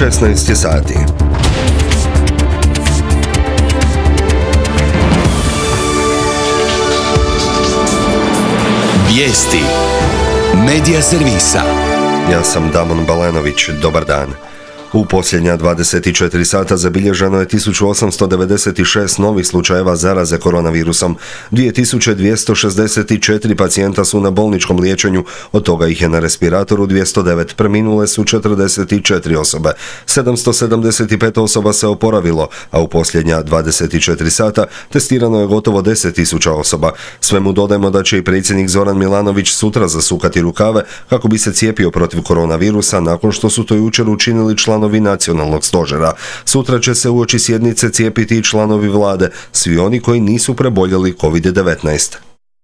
16 je sati. Vijesti Medija servisa. Ja sam Damon Balenović, dobar dan. U posljednja 24 sata zabilježeno je 1896 novih slučajeva zaraze koronavirusom. 2264 pacijenta su na bolničkom liječenju, od toga ih je na respiratoru 209, preminule su 44 osobe. 775 osoba se oporavilo, a u posljednja 24 sata testirano je gotovo 10.000 osoba. Svemu dodajmo da će i predsjednik Zoran Milanović sutra zasukati rukave kako bi se cijepio protiv koronavirusa nakon što su to jučer učinili članovi nacionalnog stožera. Sutra će se uoči sjednice cijepiti i članovi vlade, svi oni koji nisu preboljeli COVID-19.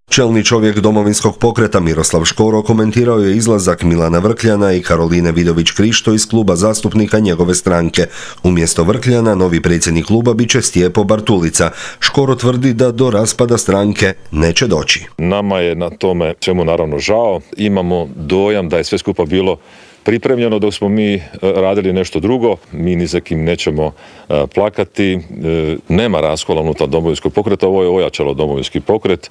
Čelni čovjek Domovinskog pokreta Miroslav Škoro komentirao je izlazak Milana Vrkljana i Karoline Vidović-Krišto iz kluba zastupnika njegove stranke. Umjesto Vrkljana, novi predsjednik kluba bit će Stjepo Bartulica. Škoro tvrdi da do raspada stranke neće doći. Nama je na tome čemu naravno žao. Imamo dojam da je sve skupa bilo pripremljeno dok smo mi radili nešto drugo. Mi ni za kim nećemo plakati. Nema raskola unutar Domovinskog pokreta. Ovo je ojačalo Domovinski pokret.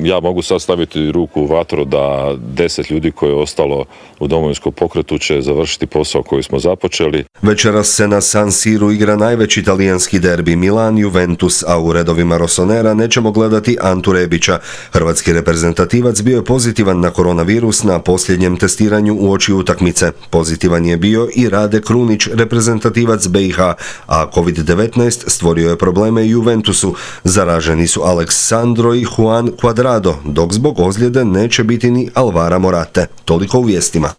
Ja mogu sad staviti ruku u vatru da 10 ljudi koje je ostalo u Domovinskom pokretu će završiti posao koji smo započeli. Večeras se na San Siru igra najveći talijanski derbi Milan-Juventus, a u redovima Rossonera nećemo gledati Antu Rebića. Hrvatski reprezentativac bio je pozitivan na koronavirus na posljednjem testiranju uoči utakmice. Pozitivan je bio i Rade Krunić, reprezentativac BiH, a COVID-19 stvorio je probleme i Juventusu. Zaraženi su Aleksandro i Juan Cuadrado, dok zbog ozljede neće biti ni Alvara Morate. Toliko u vijestima.